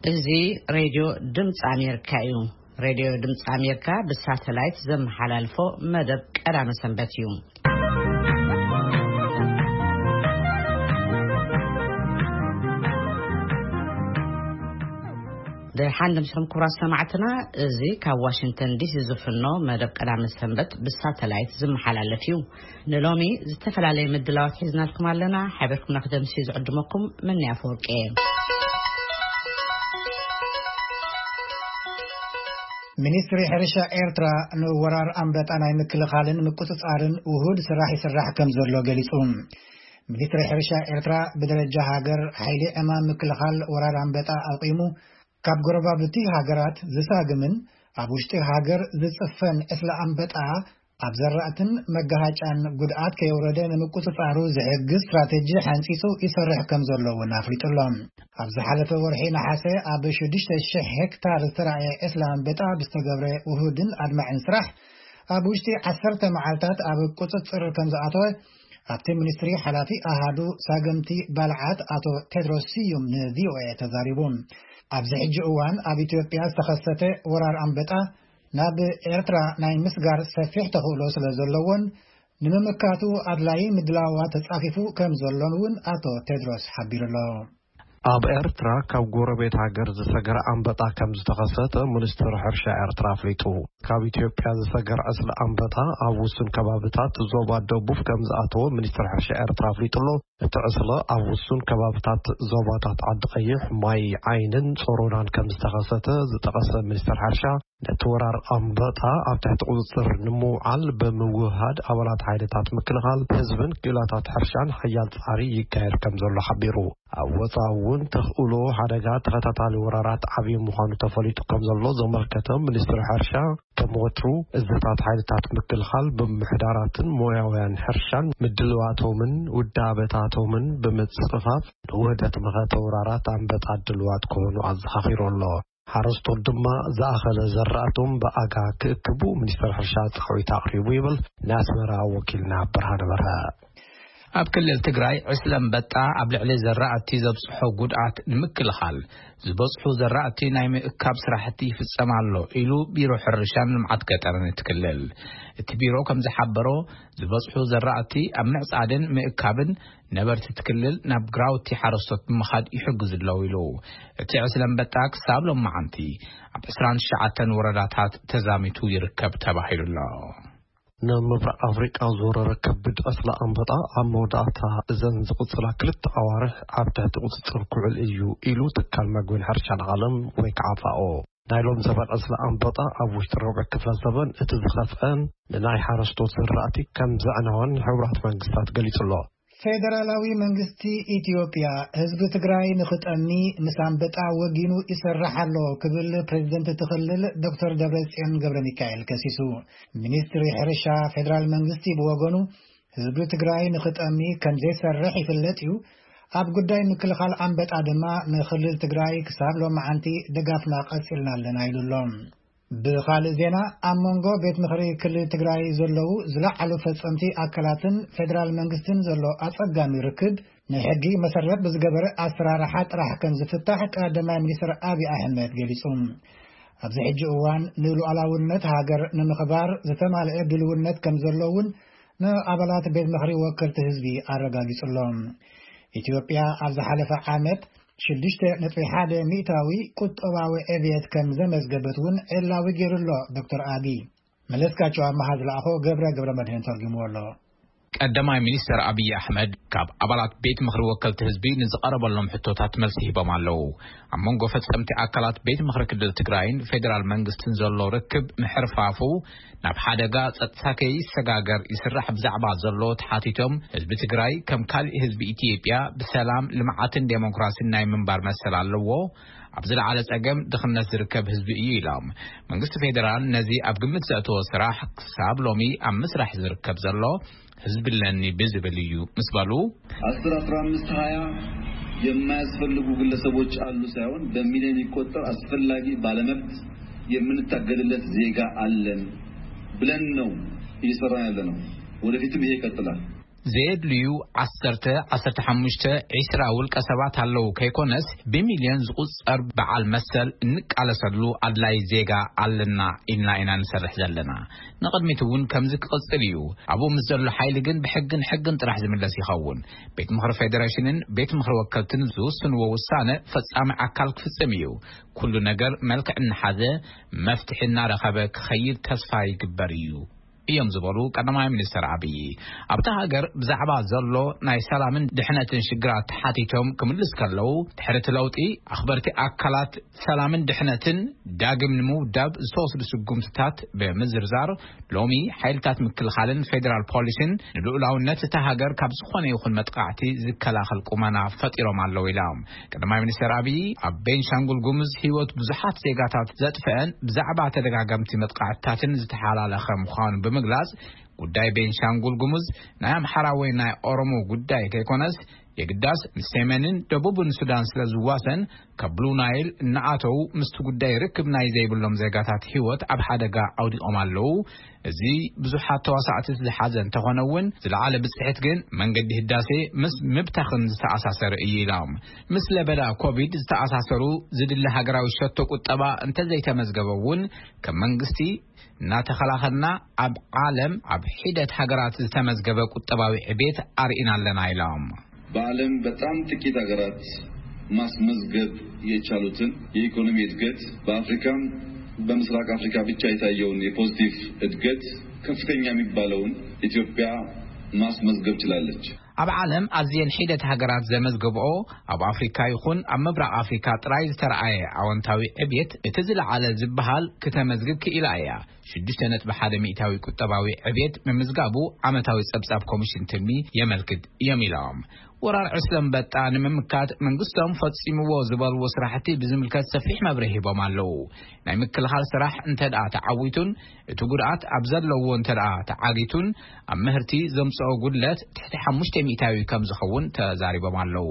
እዚ ሬድዮ ድምፂ ኣሜሪካ እዩ። ሬድዮ ድምፂ ኣሜሪካ ብሳተላይት ዘመሓላልፎ መደብ ቀዳመ ሰንበት እዩ። ደሓን ድምፅኹም ክቡራት ሰማዕትና፣ እዚ ካብ ዋሽንግተን ዲሲ ዝፍኖ መደብ ቀዳመ ሰንበት ብሳተላይት ዝመሓላለፍ እዩ። ንሎሚ ዝተፈላለየ ምድላዋት ሒዝናልኩም ኣለና። ሓቢርኩምና ክደምሲ ዝዕድመኩም መኒ ኣፈወርቂ እየ። ሚኒስትሪ ሕርሻ ኤርትራ ንወራር ኣንበጣ ናይ ምክልኻልን ምቁጽጻርን ውሁድ ስራሕ ይስራሕ ከም ዘሎ ገሊጹ። ሚኒስትሪ ሕርሻ ኤርትራ ብደረጃ ሃገር ሓይሊ ዕማም ምክልኻል ወራር ኣንበጣ ኣቂሙ ካብ ጎረባብቲ ሃገራት ዝሳግምን ኣብ ውሽጢ ሃገር ዝጽፈን ዕስለ ኣንበጣ ኣብ ዘራእትን መጋሃጫን ጉድኣት ከየውረደ ንምቁጽጻሩ ዝሕግዝ ስትራቴጂ ሓንጺጹ ይሰርሕ ከም ዘሎ እውን ኣፍሊጡ ኣሎ። ኣብ ዝሓለፈ ወርሒ ነሓሰ ኣብ ሽዱሽተ ሽሕ ሄክታር ዝተራእየ ዕስለ ኣንበጣ ብዝተገብረ ውሁድን ኣድማዕን ስራሕ ኣብ ውሽጢ ዓሰርተ መዓልታት ኣብ ቁጽጽር ከም ዝኣተወ ኣብቲ ሚኒስትሪ ሓላፊ ኣሃዱ ሳገምቲ ባልዓት ኣቶ ቴድሮስ ስዩም ንቪኦኤ ተዛሪቡ። ኣብዚ ሕጂ እዋን ኣብ ኢትዮጵያ ዝተኸሰተ ወራር ኣንበጣ ናብ ኤርትራ ናይ ምስጋር ሰፊሕ ተኽእሎ ስለ ዘለዎን ንምምካቱ ኣድላዪ ምድላዋት ተጻፊፉ ከም ዘሎን እውን ኣቶ ቴድሮስ ሓቢሩ ኣሎ። ኣብ ኤርትራ ካብ ጎረቤት ሃገር ዝሰገረ ኣንበጣ ከም ዝተኸሰተ ሚኒስትሪ ሕርሻ ኤርትራ ኣፍሊጡ። ካብ ኢትዮጵያ ዝሰገር ዕስለ ኣንበጣ ኣብ ውሱን ከባብታት ዞባ ደቡብ ከም ዝኣተወ ሚኒስትሪ ሕርሻ ኤርትራ ኣፍሊጡ ኣሎ። እቲ ዕስለ ኣብ ውሱን ከባብታት ዞባታት ዓዲ ቀይሕ፣ ማይ ዓይንን ጾሮናን ከም ዝተኸሰተ ዝጠቐሰ ሚኒስትሪ ሕርሻ፣ ነቲ ወራር ኣንበጣ ኣብ ትሕቲ ቁጽጽር ንምውዓል ብምውህሃድ ኣባላት ሓይልታት ምክልኻል ህዝብን ክኢላታት ሕርሻን ሓያል ጻዕሪ ይካየድ ከም ዘሎ ሓቢሩ። ኣብ ወጻኢ እውን ተኽእሎ ሓደጋ ተኸታታሊ ወራራት ዓብዪ ምዃኑ ተፈሊጡ ከም ዘሎ ዘመልከተ ሚኒስትሪ ሕርሻ፣ ከም ወትሩ እዝታት ሓይልታት ምክልኻል ብምምሕዳራትን ሞያውያን ሕርሻን ምድልዋቶምን ውዳበታቶምን ብምጽፋፍ ንውህደት መኸተ ወራራት ኣንበጣ ድልዋት ክኾኑ ኣዘኻኺሩ ኣሎ። ሓረስቶት ድማ ዝኣኸለ ዘራእቶም ብኣጋ ክእክቡ ሚኒስትሪ ሕርሻ ጻዊት ኣቕሪቡ ይብል ናይ ኣስመራ ወኪልና ብርሃነ በርሀ። ኣብ ክልል ትግራይ ዕስለ ኣንበጣ ኣብ ልዕሊ ዘራእቲ ዘብጽሖ ጉድኣት ንምክልኻል ዝበጽሑ ዘራእቲ ናይ ምእካብ ስራሕቲ ይፍጸም ኣሎ ኢሉ ቢሮ ሕርሻን ልምዓት ገጠርን እቲ ክልል። እቲ ቢሮ ከም ዝሓበሮ ዝበጽሑ ዘራእቲ ኣብ ምዕጻድን ምእካብን ነበርቲ እቲ ክልል ናብ ግራውቲ ሓረስቶት ብምኻድ ይሕግዙ ኣለዉ ኢሉ። እቲ ዕስለ ኣንበጣ ክሳብ ሎማዓንቲ ኣብ ዕስራን ትሽዓተን ወረዳታት ተዛሚቱ ይርከብ ተባሂሉ ኣሎ። ንምብራቕ ኣፍሪቃ ዝወረረ ከቢድ ዕስለ ኣንበጣ ኣብ መወዳእታ እዘን ዝቕጽላ ክልተ ኣዋርሕ ኣብ ትሕቲ ቁጽጽር ክውዕል እዩ ኢሉ ትካል መግብን ሕርሻን ዓለም ወይ ከዓ ፋኦ። ናይ ሎም ዘበን ዕስለ ኣንበጣ ኣብ ውሽጢ ረብዒ ክፍለ ዘበን እቲ ዝኸፍአን ንናይ ሓረስቶት ዝራእቲ ከም ዘዕነወን ሕቡራት መንግስታት ገሊጹ ኣሎ። ፌደራላዊ መንግስቲ ኢትዮጵያ ህዝቢ ትግራይ ንኽጠሚ ምስ ኣንበጣ ወጊኑ ይሰርሕ ኣሎ ክብል ፕሬዝደንት እቲ ክልል ዶክተር ደብረጽዮን ገብረ ሚካኤል ከሲሱ። ሚኒስትሪ ሕርሻ ፌደራል መንግስቲ ብወገኑ ህዝቢ ትግራይ ንኽጠሚ ከም ዘይሰርሕ ይፍለጥ እዩ። ኣብ ጉዳይ ምክልኻል ኣንበጣ ድማ ንክልል ትግራይ ክሳብ ሎማዓንቲ ድጋፍና ቀጺልና ኣለና ኢሉ ኣሎ። ብኻልእ ዜና ኣብ መንጎ ቤት ምኽሪ ክልል ትግራይ ዘለዉ ዝለዓሉ ፈጸምቲ ኣካላትን ፌደራል መንግስትን ዘሎ ኣጸጋሚ ርክብ ንሕጊ መሰረት ብዝገበረ ኣሰራርሓ ጥራሕ ከም ዝፍታሕ ቀዳማይ ሚኒስትር ኣብይ ኣሕመድ ገሊጹ። ኣብዚ ሕጂ እዋን ንሉዓላውነት ሃገር ንምኽባር ዝተማልአ ድልውነት ከም ዘሎ እውን ንኣባላት ቤት ምኽሪ ወከልቲ ህዝቢ ኣረጋጊጹ ኣሎ። ኢትዮጵያ ኣብ ዝሓለፈ ዓመት ሽዱሽተ ነጥቢ ሓደ ሚእታዊ ቁጠባዊ ዕብየት ከም ዘመዝገበት እውን ዕላዊ ገይሩ ኣሎ ዶክተር ኣቢ። መለስካቸው ኣመሃ ዝለኣኾ ገብረ ገብረ መድህን ተርጉምዎ ኣሎ። ቀዳማይ ሚኒስትር ኣብይ ኣሕመድ ካብ ኣባላት ቤት ምኽሪ ወከልቲ ህዝቢ ንዝቐረበሎም ሕቶታት መልሲ ሂቦም ኣለዉ። ኣብ መንጎ ፈጸምቲ ኣካላት ቤት ምኽሪ ክልል ትግራይን ፌደራል መንግስትን ዘሎ ርክብ ምሕርፋፉ ናብ ሓደጋ ጸጥታ ከይሰጋገር ይስራሕ ብዛዕባ ዘሎ ተሓቲቶም፣ ህዝቢ ትግራይ ከም ካሊእ ህዝቢ ኢትዮጵያ ብሰላም፣ ልምዓትን ዴሞክራሲን ናይ ምንባር መሰል ኣለዎ። ኣብ ዝለዓለ ጸገም ድኽነት ዝርከብ ህዝቢ እዩ ኢሎም። መንግስቲ ፌደራል ነዚ ኣብ ግምት ዘእተወ ስራሕ ክሳብ ሎሚ ኣብ ምስራሕ ዝርከብ ዘሎ ህዝቢ ኣለኒ ብዝብል እዩ ምስ በሉ፣ አስር፣ አስራ አምስት፣ ሃያ የማያስፈልጉ ግለሰቦች አሉ ሳይሆን በሚሊዮን የሚቆጠር አስፈላጊ ባለመብት የምንታገልለት ዜጋ አለን ብለን ነው እየሰራን ያለ ነው። ወደፊትም ይሄ ይቀጥላል። ዘየድልዩ ዓሰርተ፣ ዓሰርተ ሓሙሽተ፣ ዒስራ ውልቀ ሰባት ኣለዉ ከይኮነስ፣ ብሚልዮን ዝቑጸር በዓል መሰል እንቃለሰሉ ኣድላይ ዜጋ ኣለና ኢልና ኢና ንሰርሕ ዘለና። ንቕድሚት እውን ከምዚ ክቕጽል እዩ። ኣብኡ ምስ ዘሎ ሓይሊ ግን ብሕግን ሕግን ጥራሕ ዝምለስ ይኸውን። ቤት ምኽሪ ፌደሬሽንን ቤት ምኽሪ ወከልትን ዝውስንዎ ውሳነ ፈጻሚ ኣካል ክፍጽም እዩ። ኩሉ ነገር መልክዕ እናሓዘ መፍትሒ እናረኸበ ክኸይድ ተስፋ ይግበር እዩ እዮም ዝበሉ ቀዳማይ ሚኒስትር ኣብይ። ኣብታ ሃገር ብዛዕባ ዘሎ ናይ ሰላምን ድሕነትን ሽግራት ተሓቲቶም ክምልስ ከለዉ፣ ድሕሪ እቲ ለውጢ ኣኽበርቲ ኣካላት ሰላምን ድሕነትን ዳግም ንምውዳብ ዝተወስዱ ስጉምትታት ብምዝርዛር፣ ሎሚ ሓይልታት ምክልኻልን ፌዴራል ፖሊስን ንልኡላውነት እታ ሃገር ካብ ዝኾነ ይኹን መጥቃዕቲ ዝከላኸል ቁመና ፈጢሮም ኣለዉ ኢላ። ቀዳማይ ሚኒስትር ኣብይ ኣብ ቤንሻንጉል ጉሙዝ ህይወት ብዙሓት ዜጋታት ዘጥፍአን ብዛዕባ ተደጋጋምቲ መጥቃዕትታትን ዝተሓላለኸ ምዃኑ ብምግላጽ፣ ጉዳይ ቤንሻንጉል ጉሙዝ ናይ ኣምሓራ ወይ ናይ ኦሮሞ ጉዳይ ከይኮነስ፣ የግዳስ ምስ ሰሜንን ደቡብን ሱዳን ስለ ዝዋሰን፣ ካብ ብሉ ናይል እናኣተዉ ምስቲ ጉዳይ ርክብ ናይ ዘይብሎም ዜጋታት ህይወት ኣብ ሓደጋ ኣውዲቖም ኣለዉ። እዚ ብዙሓት ተዋሳእቲ ዝሓዘ እንተኾነ እውን፣ ዝለዓለ ብጽሒት ግን መንገዲ ህዳሴ ምስ ምብታኽን ዝተኣሳሰረ እዩ ኢሎም። ምስ ለበዳ ኮቪድ ዝተኣሳሰሩ ዝድለ ሃገራዊ ሸቶ ቁጠባ እንተዘይተመዝገበ እውን፣ ከም መንግስቲ እናተኸላኸልና ኣብ ዓለም ኣብ ሒደት ሃገራት ዝተመዝገበ ቁጠባዊ ዕቤት ኣርኢና ኣለና ኢሎም። በዓለም በጣም ጥቂት ሀገራት ማስመዝገብ የቻሉትን የኢኮኖሚ እድገት፣ በአፍሪካም በምስራቅ አፍሪካ ብቻ የታየውን የፖዚቲቭ እድገት ከፍተኛ የሚባለውን ኢትዮጵያ ማስመዝገብ ችላለች። ኣብ ዓለም ኣዝየን ሒደት ሃገራት ዘመዝገብኦ፣ ኣብ ኣፍሪካ ይኹን ኣብ ምብራቕ ኣፍሪካ ጥራይ ዝተረኣየ ኣወንታዊ ዕብየት፣ እቲ ዝለዓለ ዝበሃል፣ ክተመዝግብ ክኢላ እያ። ሽዱሽተ ነጥቢ ሓደ ሚእታዊ ቁጠባዊ ዕብየት ምምዝጋቡ ዓመታዊ ጸብጻብ ኮሚሽን ትልሚ የመልክት እዮም ኢሎም። ወራር ዕስለ ኣንበጣ ንምምካት መንግስቶም ፈጺምዎ ዝበልዎ ስራሕቲ ብዝምልከት ሰፊሕ መብርሂ ሂቦም ኣለዉ። ናይ ምክልኻል ስራሕ እንተ ደኣ ተዓዊቱን እቲ ጉድኣት ኣብ ዘለዎ እንተ ደኣ ተዓጊቱን፣ ኣብ ምህርቲ ዘምጽኦ ጉድለት ትሕቲ ሓሙሽተ ሚእታዊ ከም ዝኸውን ተዛሪቦም ኣለዉ።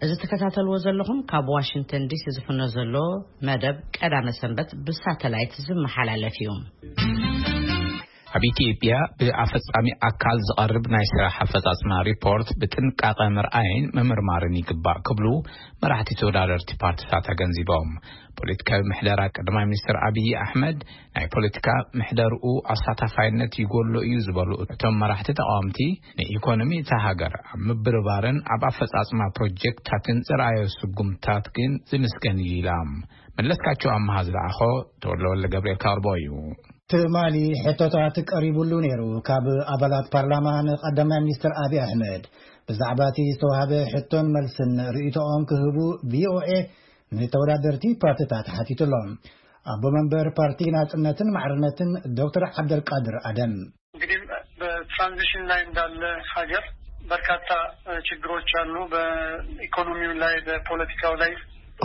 እዚ ትከታተልዎ ዘለኹም ካብ ዋሽንግተን ዲሲ ዝፍኖ ዘሎ መደብ ቀዳመ ሰንበት ብሳተላይት ዝመሓላለፍ እዩ። ኣብ ኢትዮጵያ ብኣፈጻሚ ኣካል ዝቐርብ ናይ ስራሕ ኣፈጻጽማ ሪፖርት ብጥንቃቐ ምርኣይን ምምርማርን ይግባእ ክብሉ መራሕቲ ተወዳደርቲ ፓርቲታት ኣገንዚቦም። ፖለቲካዊ ምሕደራ ቀዳማይ ሚኒስትር ኣብይ ኣሕመድ ናይ ፖለቲካ ምሕደርኡ ኣሳታፋይነት ይጎሎ እዩ ዝበሉ እቶም መራሕቲ ተቃወምቲ፣ ንኢኮኖሚ እታ ሃገር ኣብ ምብርባርን ኣብ ኣፈጻጽማ ፕሮጀክትታትን ዝረኣዮ ስጉምታት ግን ዝምስገን እዩ ኢላ። መለስካቸው ኣምሃ ዝለኣኾ ተወልደ ወልደ ገብርኤል ካርቦ እዩ። ትማሊ ሕቶታት ቀሪቡሉ ነይሩ ካብ ኣባላት ፓርላማ ንቀዳማይ ሚኒስትር ኣብይ ኣሕመድ። ብዛዕባ እቲ ዝተዋህበ ሕቶን መልስን ርእይቶኦም ክህቡ ቪኦኤ ንተወዳደርቲ ፓርቲታት ሓቲቱሎም። ኣቦ መንበር ፓርቲ ናጽነትን ማዕርነትን ዶክተር ዓብደልቃድር ኣደም። እንግዲህ በትራንዚሽን ላይ እንዳለ ሀገር በርካታ ችግሮች አሉ። በኢኮኖሚው ላይ፣ በፖለቲካው ላይ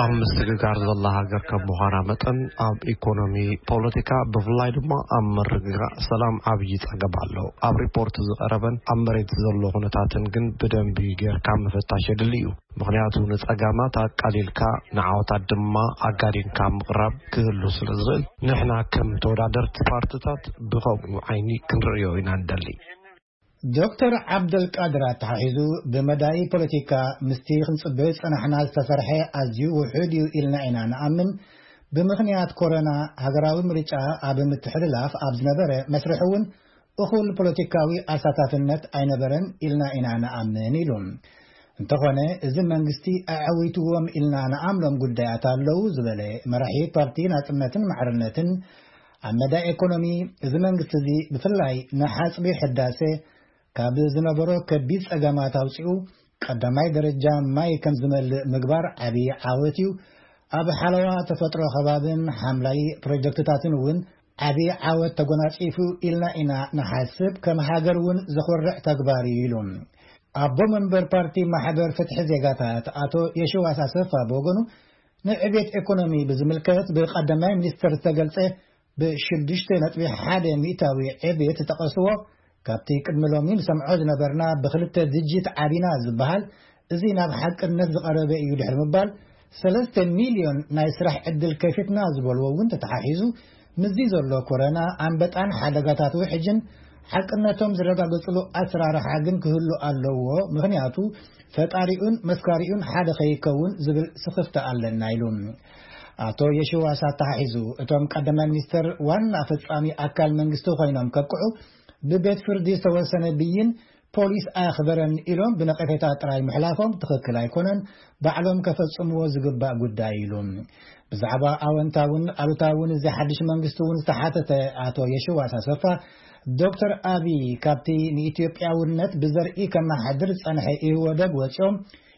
ኣብ ምስግጋር ዘላ ሃገር ከም ምዃና መጠን፣ ኣብ ኢኮኖሚ፣ ፖለቲካ፣ ብፍላይ ድማ ኣብ ምርግጋእ ሰላም ዓብዪ ጸገም ኣሎ። ኣብ ሪፖርት ዝቐረበን ኣብ መሬት ዘሎ ኩነታትን ግን ብደንቢ ጌርካ ምፍታሽ የድሊ እዩ። ምኽንያቱ ንጸጋማት ኣቃሊልካ ንዓወታት ድማ ኣጋዲንካ ምቕራብ ክህሉ ስለ ዝኽእል፣ ንሕና ከም ተወዳደርቲ ፓርትታት ብኸምኡ ዓይኒ ክንርእዮ ኢና ንደሊ። ዶክተር ዓብደልቃድር ኣተሓሒዙ፣ ብመዳይ ፖለቲካ ምስቲ ክንጽበዮ ዝጸናሕና ዝተሰርሐ ኣዝዩ ውሑድ እዩ ኢልና ኢና ንኣምን። ብምኽንያት ኮሮና ሃገራዊ ምርጫ ኣብ ምትሕልላፍ ኣብ ዝነበረ መስርሕ እውን እኹል ፖለቲካዊ ኣሳታፍነት ኣይነበረን ኢልና ኢና ንኣምን ኢሉ። እንተኾነ፣ እዚ መንግስቲ ኣዐዊትዎም ኢልና ንኣምኖም ጉዳያት ኣለዉ ዝበለ መራሒ ፓርቲ ናጽነትን ማዕርነትን፣ ኣብ መዳይ ኢኮኖሚ፣ እዚ መንግስቲ እዚ ብፍላይ ንሓጽቢ ሕዳሴ ካብ ዝነበሮ ከቢድ ጸገማት ኣውጺኡ ቀዳማይ ደረጃ ማይ ከም ዝመልእ ምግባር ዓቢ ዓወት እዩ። ኣብ ሓለዋ ተፈጥሮ ከባብን ሓምላይ ፕሮጀክትታትን እውን ዓቢ ዓወት ተጎናጺፉ ኢልና ኢና ንሓስብ፣ ከም ሃገር እውን ዘኹርዕ ተግባር እዩ ኢሉ። ኣቦ መንበር ፓርቲ ማሕበር ፍትሒ ዜጋታት ኣቶ የሽዋስ ኣሰፋ ብወገኑ፣ ንዕቤት ኢኮኖሚ ብዝምልከት ብቀዳማይ ሚኒስትር ዝተገልጸ ብሽዱሽተ ነጥቢ ሓደ ሚእታዊ ዕቤት ዝጠቐስዎ፣ ካብቲ ቅድሚ ሎሚ ንሰምዖ ዝነበርና ብክልተ ድጅት ዓቢና ዝበሃል፣ እዚ ናብ ሓቅነት ዝቐረበ እዩ ድሕሪ ምባል፣ ሰለስተ ሚልዮን ናይ ስራሕ ዕድል ከፊትና ዝበልዎ እውን ተተሓሒዙ፣ ምስዚ ዘሎ ኮረና፣ ኣንበጣን ሓደጋታት ውሕጅን ሓቅነቶም ዝረጋገጽሉ ኣሰራርሓ ግን ክህሉ ኣለዎ፣ ምኽንያቱ ፈጣሪኡን መስካሪኡን ሓደ ከይከውን ዝብል ስኽፍታ ኣለና ኢሉ። ኣቶ የሽዋስ ኣተሓሒዙ፣ እቶም ቀዳማይ ሚኒስተር ዋና ፈጻሚ ኣካል መንግስቲ ኮይኖም ከብቅዑ ብቤት ፍርዲ ዝተወሰነ ብይን ፖሊስ ኣኽበረን ኢሎም ብነቐፌታ ጥራይ ምሕላፎም ትኽክል ኣይኮነን፣ ባዕሎም ከፈጽምዎ ዝግባእ ጉዳይ ኢሉ። ብዛዕባ ኣወንታውን ኣሉታውን እዚ ሓድሽ መንግስቲ እውን ዝተሓተተ ኣቶ የሽዋስ ኣሰፋ፣ ዶክተር ኣቢ ካብቲ ንኢትዮጵያውነት ብዘርኢ ከመሓድር ዝጸንሐ ኢህወደግ ወጺኦም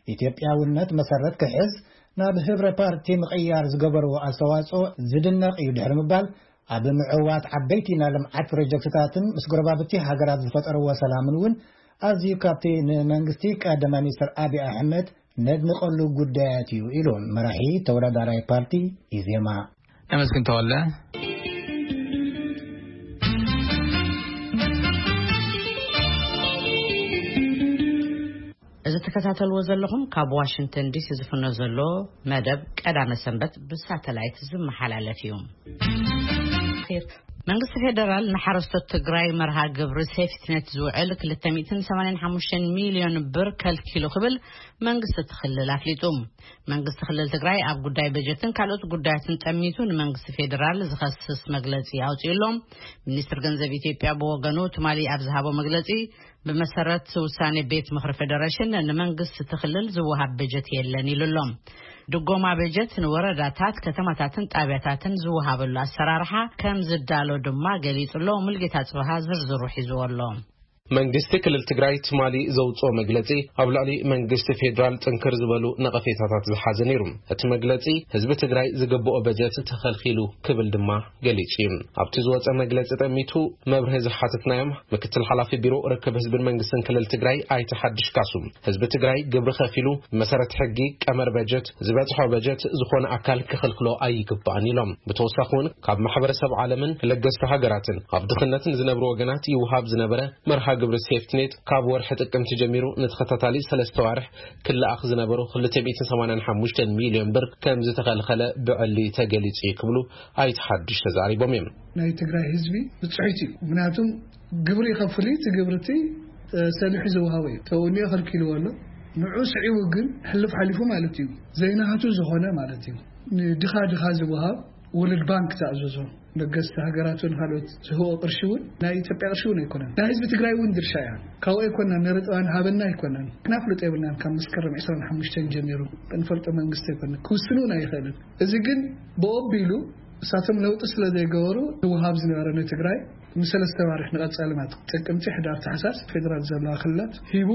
ኢትዮጵያውነት መሰረት ክሕዝ ናብ ህብረ ፓርቲ ምቕያር ዝገበርዎ ኣስተዋጽኦ ዝድነቕ እዩ ድሕሪ ምባል፣ ኣብ ምዕዋት ዓበይቲ ናይ ልምዓት ፕሮጀክትታትን ምስ ጎረባብቲ ሃገራት ዝፈጠርዎ ሰላምን እውን ኣዝዩ ካብቲ ንመንግስቲ ቀዳማይ ሚኒስትር ኣቢ ኣሕመድ ነድንቐሉ ጉዳያት እዩ ኢሉ መራሒ ተወዳዳራይ ፓርቲ ኢዜማ። ተመስገን ተወለ። እዚ ትከታተልዎ ዘለኹም ካብ ዋሽንግተን ዲሲ ዝፍኖ ዘሎ መደብ ቀዳመ ሰንበት ብሳተላይት ዝመሓላለፍ እዩ። መንግስቲ ፌደራል ንሓረስቶት ትግራይ መርሃ ግብሪ ሴፍትኔት ዝውዕል ክልተ ሚእትን ሰማንያን ሓሙሽተን ሚልዮን ብር ከልኪሉ ክብል መንግስቲ እቲ ክልል ኣፍሊጡ። መንግስቲ ክልል ትግራይ ኣብ ጉዳይ በጀትን ካልኦት ጉዳያትን ጠሚቱ ንመንግስቲ ፌደራል ዝኸስስ መግለጺ ኣውጺኡ ኣሎ። ሚኒስትር ገንዘብ ኢትዮጵያ ብወገኑ ትማሊ ኣብ ዝሃቦ መግለጺ፣ ብመሰረት ውሳኔ ቤት ምኽሪ ፌደሬሽን ንመንግስቲ እቲ ክልል ዝወሃብ በጀት የለን ኢሉ ኣሎ። ድጎማ በጀት ንወረዳታት፣ ከተማታትን ጣብያታትን ዝወሃበሉ ኣሰራርሓ ከም ዝዳሎ ድማ ገሊጹ ኣሎ። ሙልጌታ ጽብሃ ዝርዝሩ ሒዝዎ ኣሎ። መንግስቲ ክልል ትግራይ ትማሊ ዘውፅኦ መግለፂ ኣብ ልዕሊ መንግስቲ ፌዴራል ጥንክር ዝበሉ ነቐፌታታት ዝሓዘ ነይሩ። እቲ መግለፂ ህዝቢ ትግራይ ዝግብኦ በጀት ተኸልኪሉ ክብል ድማ ገሊጹ እዩ። ኣብቲ ዝወፀ መግለፂ ጠሚቱ መብርሂ ዝሓተትናዮም ምክትል ሓላፊ ቢሮ ርክብ ህዝብን መንግስትን ክልል ትግራይ ኣይተ ሓድሽ ካሱ፣ ህዝቢ ትግራይ ግብሪ ከፊሉ ብመሰረት ሕጊ ቀመር በጀት ዝበፅሖ በጀት ዝኾነ ኣካል ክኽልክሎ ኣይግባእን ኢሎም። ብተወሳኺ እውን ካብ ማሕበረሰብ ዓለምን ለገስቲ ሃገራትን ኣብ ድኽነት ንዝነብሩ ወገናት ይውሃብ ዝነበረ መርሃ ግብሪ ሴፍትኔት ካብ ወርሒ ጥቅምቲ ጀሚሩ ንተኸታታሊ ሰለስተ ዋርሕ ክለኣኽ ዝነበሩ ክልተ ሚእትን ሰማንያን ሓሙሽተን ሚልዮን ብር ከም ዝተኸልኸለ ብዕሊ ተገሊጹ እዩ ክብሉ ኣይተ ሓድሽ ተዛሪቦም እዮም። ናይ ትግራይ ህዝቢ ብፅሒት እዩ። ምክንያቱም ግብሪ ይኸፍል እዩ፣ እቲ ግብሪ እቲ፣ እ፣ ሰሊሑ ዝወሃቦ እዩ። ተውኒ ከልኪልዎ ኣሎ። ንዑ ስዒቡ ግን ሕልፍ ሓሊፉ ማለት እዩ። ዘይናቱ ዝኾነ ማለት እዩ። ንድኻ ድኻ ዝወሃብ ወርልድ ባንክ ተኣዘዞ። ለገስቲ ሃገራት እውን ካልኦት ዝህቦ ቅርሺ እውን ናይ ኢትዮጵያ ቅርሺ እውን ኣይኮነን። ናይ ህዝቢ ትግራይ እውን ድርሻ እያ። ካብኡ ኣይኮናን፣ ንርጥባን ሃበና ኣይኮናን። ክናፍልጦ የብልናን። ካብ መስከረም ዕስራን ሓሙሽተን ጀሚሩ ክንፈልጦ መንግስቲ ኣይኮነን። ክውስን እውን ኣይኽእልን። እዚ ግን ብኦቢሉ እሳቶም ለውጢ ስለ ዘይገበሩ ዝወሃብ ዝነበረ ንትግራይ ንሰለስተ ዋርሕ ንቐጻሊ ማለት ጥቅምቲ፣ ሕዳር፣ ታሕሳስ ፌደራል ዘለዋ ክልላት ሂቡ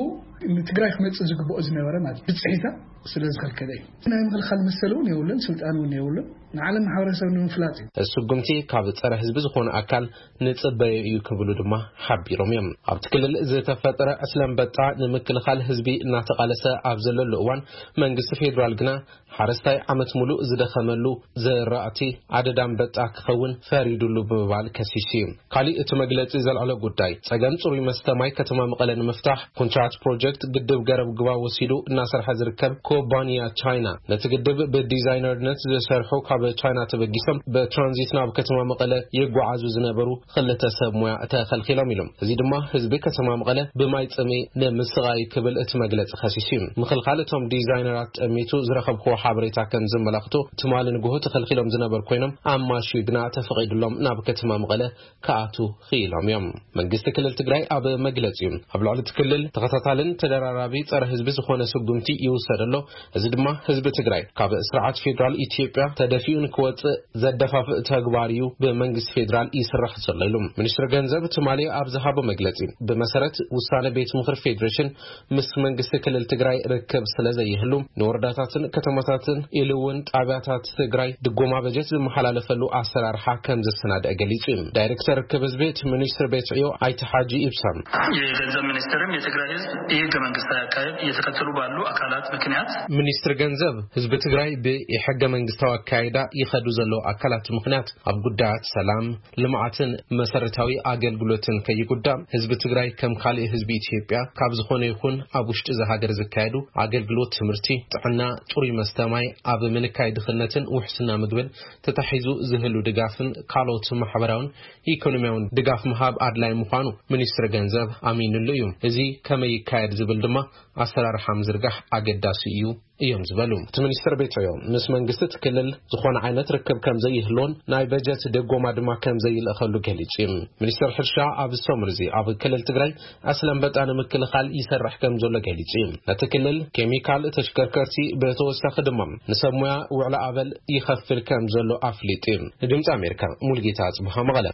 ንትግራይ ክመጽእ ዝግብኦ ዝነበረ ማለት ብጽሒታ ስለ ዝኸልከለ እዩ። ናይ ምኽልኻል መሰል እውን የብሉን፣ ስልጣን እውን የብሉን። ንዓለም ማሕበረሰብ ንምፍላጥ እዩ። እዚ ስጉምቲ ካብ ጸረ ህዝቢ ዝኾነ ኣካል ንጽበዮ እዩ ክብሉ ድማ ሓቢሮም እዮም። ኣብቲ ክልል ዝተፈጠረ ዕስለ ኣንበጣ ንምክልኻል ህዝቢ እናተቓለሰ ኣብ ዘለሉ እዋን መንግስቲ ፌዴራል ግና ሓረስታይ ዓመት ሙሉእ ዝደኸመሉ ዘራእቲ ኣደዳ ኣንበጣ ክኸውን ፈሪዱሉ ብምባል ከሲሱ እዩ። ካሊእ እቲ መግለጺ ዘልዓሎ ጉዳይ ጸገም ጽሩይ መስተ ማይ ከተማ መቐለ ንምፍታሕ ኮንትራት ፕሮጀክት ግድብ ገረብ ግባ ወሲዱ እናሰርሐ ዝርከብ ኩባንያ ቻይና ነቲ ግድብ ብዲዛይነርነት ዝሰርሑ ካብ ቻይና ተበጊሶም ብትራንዚት ናብ ከተማ መቐለ ይጓዓዙ ዝነበሩ ክልተ ሰብ ሞያ ተኸልኪሎም ኢሎም። እዚ ድማ ህዝቢ ከተማ መቐለ ብማይ ጽምኢ ንምስቓይ ክብል እቲ መግለጺ ከሲሱ እዩ። ምኽልኻል እቶም ዲዛይነራት ጠሚቱ ዝረኸብክዎ ሓበሬታ ከም ዘመላኽቶ ትማሊ ንግሆ ተኸልኪሎም ዝነበሩ ኮይኖም ኣማሽዩ ግና ተፈቒዱሎም ናብ ከተማ መቐለ ክኣቱ ክኢሎም እዮም። መንግስቲ ክልል ትግራይ ኣብ መግለጺኡ ኣብ ልዕሊ እቲ ክልል ተኸታታልን ተደራራቢ ጸረ ህዝቢ ዝኾነ ስጉምቲ ይውሰድ ኣሎ። እዚ ድማ ህዝቢ ትግራይ ካብ ስርዓት ፌዴራል ኢትዮጵያ ተደፊኡ ንክወጽእ ዘደፋፍእ ተግባር እዩ ብመንግስቲ ፌዴራል ይስራሕ ዘሎ ኢሉ። ሚኒስትሪ ገንዘብ ትማሊ ኣብ ዝሃቦ መግለጺ ብመሰረት ውሳነ ቤት ምኽሪ ፌዴሬሽን ምስ መንግስቲ ክልል ትግራይ ርክብ ስለ ዘይህሉ ንወረዳታትን ከተማታትን ኢሉ እውን ጣብያታት ትግራይ ድጎማ በጀት ዝመሓላለፈሉ ኣሰራርሓ ከም ዘሰናድአ ገሊጹ እዩ። ዳይሬክተር ርክብ ህዝቢ እቲ ሚኒስትሪ ቤት ዕዮ ኣይተ ሓጂ ኢብሳም የገንዘብ ሚኒስቴርም የትግራይ ህዝብ የህገ መንግስታዊ አካሄድ እየተከተሉ ባሉ አካላት ምክንያት ሚኒስትሪ ገንዘብ፣ ህዝቢ ትግራይ ብኢሕገ መንግስታዊ ኣካይዳ ይኸዱ ዘለዉ ኣካላት ምኽንያት ኣብ ጉዳያት ሰላም፣ ልምዓትን መሰረታዊ ኣገልግሎትን ከይጉዳም፣ ህዝቢ ትግራይ ከም ካልእ ህዝቢ ኢትዮጵያ ካብ ዝኾነ ይኹን ኣብ ውሽጢ እዛ ሃገር ዝካየዱ ኣገልግሎት ትምህርቲ፣ ጥዕና፣ ጽሩይ መስተ ማይ፣ ኣብ ምንካይ ድኽነትን ውሕስና ምግብን ተታሒዙ ዝህሉ ድጋፍን ካልኦት ማሕበራውን ኢኮኖሚያውን ድጋፍ ምሃብ ኣድላይ ምዃኑ ሚኒስትሪ ገንዘብ ኣሚንሉ እዩ። እዚ ከመይ ይካየድ ዝብል ድማ ኣሰራርሓ ምዝርጋሕ ኣገዳሲ እዩ እዮም ዝበሉ እቲ ሚኒስትር ቤቶዮ፣ ምስ መንግስቲ እቲ ክልል ዝኾነ ዓይነት ርክብ ከም ዘይህልዎን ናይ በጀት ደጎማ ድማ ከም ዘይልእኸሉ ገሊጹ እዩ። ሚኒስትር ሕርሻ ኣብዚ ሰሙን እዚ ኣብ ክልል ትግራይ ኣስለምበጣ ንምክልኻል ይሰርሕ ከም ዘሎ ገሊጹ እዩ። እቲ ክልል ኬሚካል፣ ተሽከርከርቲ፣ ብተወሳኺ ድማ ንሰብ ሞያ ውዕለ ኣበል ይኸፍል ከም ዘሎ ኣፍሊጡ እዩ። ንድምፂ ኣሜሪካ ሙልጌታ ኣጽብሃ መቐለ።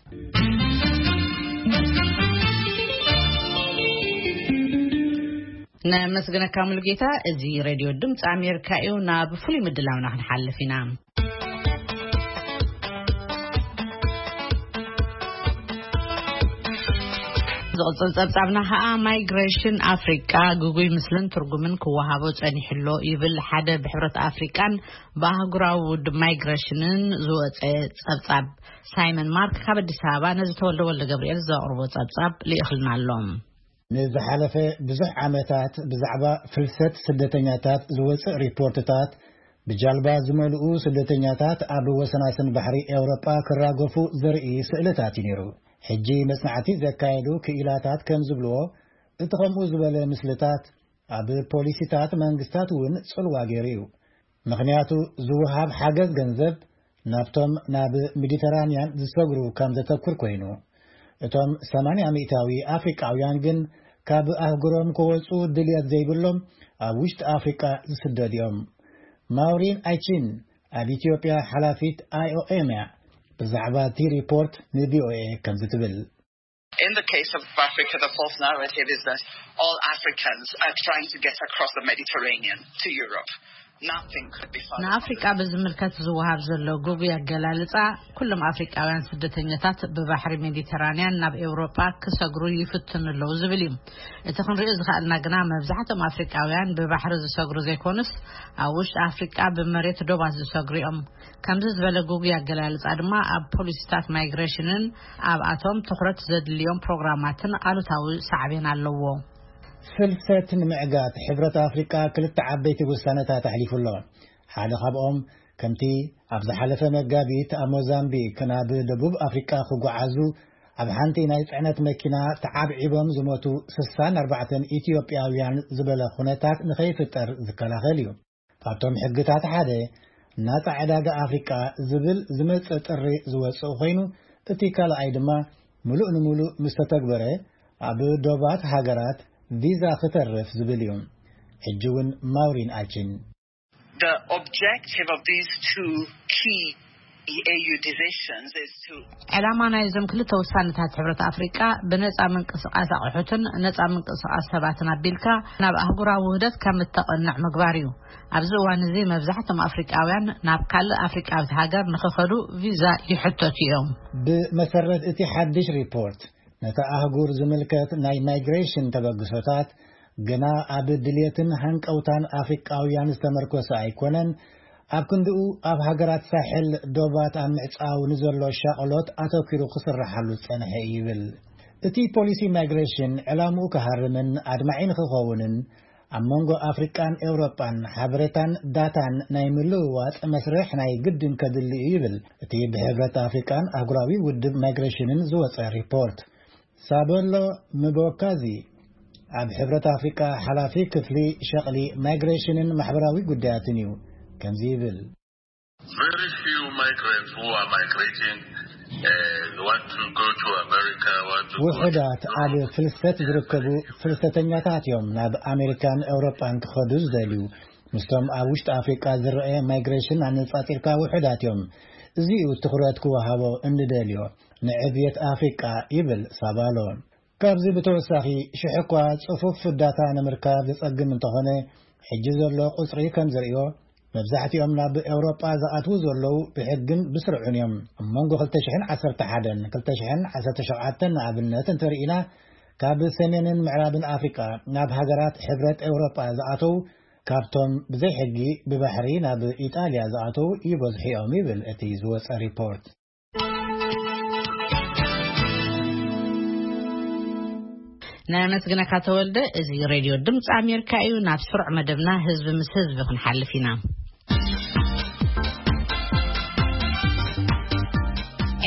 ነመስግነካ ሙሉጌታ። እዚ ሬድዮ ድምፂ ኣሜሪካ እዩ። ናብ ፍሉይ ምድላውና ክንሓልፍ ኢና። ዝቕፅል ጸብጻብና ኸዓ፣ ማይግሬሽን ኣፍሪቃ ግጉይ ምስልን ትርጉምን ክወሃቦ ጸኒሕሎ ይብል ሓደ ብሕብረት ኣፍሪቃን ብኣህጉራዊ ውድብ ማይግሬሽንን ዝወፀ ጸብጻብ። ሳይመን ማርክ ካብ ኣዲስ ኣበባ ነዚ ተወልደ ወልደ ገብርኤል ዘቕርቦ ጸብጻብ ልኢኽልና ኣሎ። ንዝሓለፈ ብዙሕ ዓመታት ብዛዕባ ፍልሰት ስደተኛታት ዝወጽእ ሪፖርትታት፣ ብጃልባ ዝመልኡ ስደተኛታት ኣብ ወሰናስን ባሕሪ ኤውሮጳ ክራገፉ ዘርኢ ስእልታት እዩ ነይሩ። ሕጂ መጽናዕቲ ዘካየዱ ክኢላታት ከም ዝብልዎ፣ እቲ ከምኡ ዝበለ ምስልታት ኣብ ፖሊሲታት መንግስታት እውን ጽልዋ ገይሩ እዩ። ምኽንያቱ፣ ዝወሃብ ሓገዝ ገንዘብ ናብቶም ናብ ሜዲተራንያን ዝሰግሩ ከም ዘተኩር ኮይኑ፣ እቶም ሰማንያ ሚእታዊ ኣፍሪቃውያን ግን ካብ ኣህጉሮም ክወጹ ድልየት ዘይብሎም ኣብ ውሽጢ ኣፍሪቃ ዝስደዱ እዮም። ማውሪን ኣይቺን ኣብ ኢትዮጵያ ሓላፊት ኣይ ኦ ኤም እያ። ብዛዕባ እቲ ሪፖርት ን ቪ ኦ ኤ ከምዚ ትብል። In the case of Africa, the false narrative is that all Africans are trying to get across the Mediterranean to Europe. Nothing could be further from ንኣፍሪቃ ብዝምልከት ዝወሃብ ዘሎ ግጉይ ኣገላልጻ፣ ኩሎም ኣፍሪቃውያን ስደተኛታት ብባሕሪ ሜዲተራንያን ናብ ኤውሮጳ ክሰግሩ ይፍትኑ ኣለዉ ዝብል እዩ። እቲ ክንሪኦ ዝኸኣልና ግና፣ መብዛሕትኦም ኣፍሪቃውያን ብባሕሪ ዝሰግሩ ዘይኮኑስ፣ ኣብ ውሽጢ ኣፍሪቃ ብመሬት ዶባት ዝሰግሩ እዮም። ከምዚ ዝበለ ግጉይ ኣገላልጻ ድማ ኣብ ፖሊሲታት ማይግሬሽንን ኣብኣቶም ትኹረት ዘድልዮም ፕሮግራማትን ኣሉታዊ ሳዕቤን ኣለዎ። ፍልሰት ንምዕጋት ሕብረት ኣፍሪቃ ክልተ ዓበይቲ ውሳነታት ኣሕሊፉ ኣሎ። ሓደ ካብኦም ከምቲ ኣብ ዝሓለፈ መጋቢት ኣብ ሞዛምቢክ ናብ ደቡብ ኣፍሪቃ ክጓዓዙ ኣብ ሓንቲ ናይ ጽዕነት መኪና ተዓብዒቦም ዝሞቱ ስሳን ኣርባዕተን ኢትዮጵያውያን ዝበለ ኩነታት ንኸይፍጠር ዝከላኸል እዩ። ካብቶም ሕግታት ሓደ ናጻ ዕዳጋ ኣፍሪቃ ዝብል ዝመጸ ጥሪ ዝወጽእ ኮይኑ፣ እቲ ካልኣይ ድማ ምሉእ ንምሉእ ምስ ተተግበረ ኣብ ዶባት ሃገራት ቪዛ ክተርፍ ዝብል እዩ። ሕጂ እውን ማውሪን ኣችን። The objective of these two key E A U decisions is to ዕላማ ናይዞም ክልተ ውሳነታት ሕብረት ኣፍሪቃ ብነጻ ምንቅስቃስ ኣቑሑትን ነጻ ምንቅስቃስ ሰባትን ኣቢልካ ናብ ኣህጉራዊ ውህደት ከም እተቐንዕ ምግባር እዩ። ኣብዚ እዋን እዚ መብዛሕትኦም ኣፍሪቃውያን ናብ ካልእ ኣፍሪቃዊት ሃገር ንኽኸዱ ቪዛ ይሕተቱ እዮም። ብመሰረት እቲ ሓድሽ ሪፖርት፣ ነታ ኣህጉር ዝምልከት ናይ ማይግሬሽን ተበግሶታት ግና ኣብ ድልየትን ሃንቀውታን ኣፍሪቃውያን ዝተመርኮሰ ኣይኮነን። ኣብ ክንድኡ ኣብ ሃገራት ሳሕል ዶባት ኣብ ምዕጻው ንዘሎ ሻቕሎት ኣተኲሩ ክስርሓሉ ዝጸንሐ እዩ ይብል። እቲ ፖሊሲ ማይግሬሽን ዕላምኡ ክሃርምን ኣድማዒ ንኽኸውንን ኣብ መንጎ ኣፍሪቃን ኤውሮጳን ሓበሬታን ዳታን ናይ ምልውዋጥ መስርሕ ናይ ግድን ከድሊ እዩ ይብል እቲ ብሕብረት ኣፍሪቃን ኣህጉራዊ ውድብ ማይግሬሽንን ዝወጸ ሪፖርት። ሳበሎ ምቦካዚ ኣብ ሕብረት ኣፍሪቃ ሓላፊ ክፍሊ ሸቕሊ ማይግሬሽንን ማሕበራዊ ጉዳያትን እዩ። ከምዚ ይብል። Very few migrants who are migrating, uh, want to go to America, want to go to ውሑዳት ኣብ ፍልሰት ዝርከቡ ፍልሰተኛታት እዮም ናብ ኣሜሪካን ኤውሮጳን ክኸዱ ዝደልዩ። ምስቶም ኣብ ውሽጢ ኣፍሪቃ ዝረአ ማይግሬሽን ኣነጻጺርካ ውሑዳት እዮም። እዚ እዩ ትኹረት ክወሃቦ እንደልዮ ንዕብየት ኣፍሪቃ ይብል ሳባሎ። ካብዚ ብተወሳኺ ሽሕ እኳ ጽፉፍ ዳታ ንምርካብ ዘጸግም እንተኾነ፣ ሕጂ ዘሎ ቁጽሪ ከም ዘርእዮ መብዛሕትኦም ናብ ኤውሮጳ ዝኣትዉ ዘለዉ ብሕግን ብስርዑን እዮም። ኣብ መንጎ ክልተ ሽሕን ዓሰርተ ሓደን ክልተ ሽሕን ዓሰርተ ሸውዓተን ንኣብነት እንተርኢና፣ ካብ ሰሜንን ምዕራብን ኣፍሪቃ ናብ ሃገራት ሕብረት ኤውሮጳ ዝኣተዉ ካብቶም ብዘይ ሕጊ ብባሕሪ ናብ ኢጣልያ ዝኣተዉ ይበዝሑ እዮም ይብል እቲ ዝወጸ ሪፖርት። ነመስግነካ ተወልደ። እዚ ሬድዮ ድምፂ ኣሜሪካ እዩ። ናብ ስሩዕ መደብና ህዝቢ ምስ ህዝቢ ክንሓልፍ ኢና።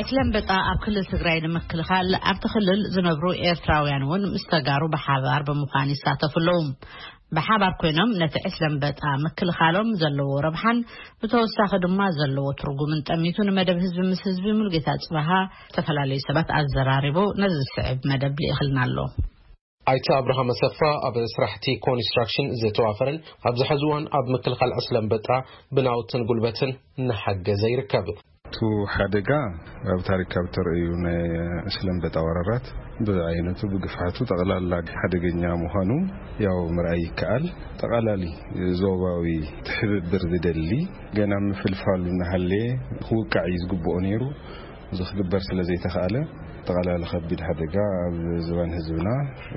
ዕስለ ኣንበጣ ኣብ ክልል ትግራይ ንምክልኻል ኣብቲ ክልል ዝነብሩ ኤርትራውያን እውን ምስ ተጋሩ ብሓባር ብምዃን ይሳተፉ ኣለዉ። ብሓባር ኮይኖም ነቲ ዕስለ ኣንበጣ ምክልኻሎም ዘለዎ ረብሓን ብተወሳኺ ድማ ዘለዎ ትርጉምን ጠሚቱ ንመደብ ህዝቢ ምስ ህዝቢ ሙሉጌታ ጽባሃ ዝተፈላለዩ ሰባት ኣዘራሪቡ ነዚ ዝስዕብ መደብ ልኢኽልና ኣሎ። ኣይተ ኣብርሃም ኣሰፋ ኣብ ስራሕቲ ኮንስትራክሽን ዝተዋፈረን ኣብዚ ሕዚ እዋን ኣብ ምክልኻል ዕስለ ኣንበጣ ብናውትን ጉልበትን እናሓገዘ ይርከብ። እቲ ሓደጋ ኣብ ታሪክ ካብ ተርእዩ ናይ ዕስለ ኣንበጣ ወረራት ብዓይነቱ ብግፍሓቱ ጠቕላላ ሓደገኛ ምዃኑ ያው ምርኣይ ይከኣል። ጠቓላሊ ዞባዊ ትሕብብር ዝደሊ ገና ምፍልፋሉ እናሃለየ ክውቃዕ እዩ ዝግብኦ ነይሩ። እዚ ክግበር ስለ ዘይተኻእለ ጠቓላሊ ከቢድ ሓደጋ ኣብ ዝባን ህዝብና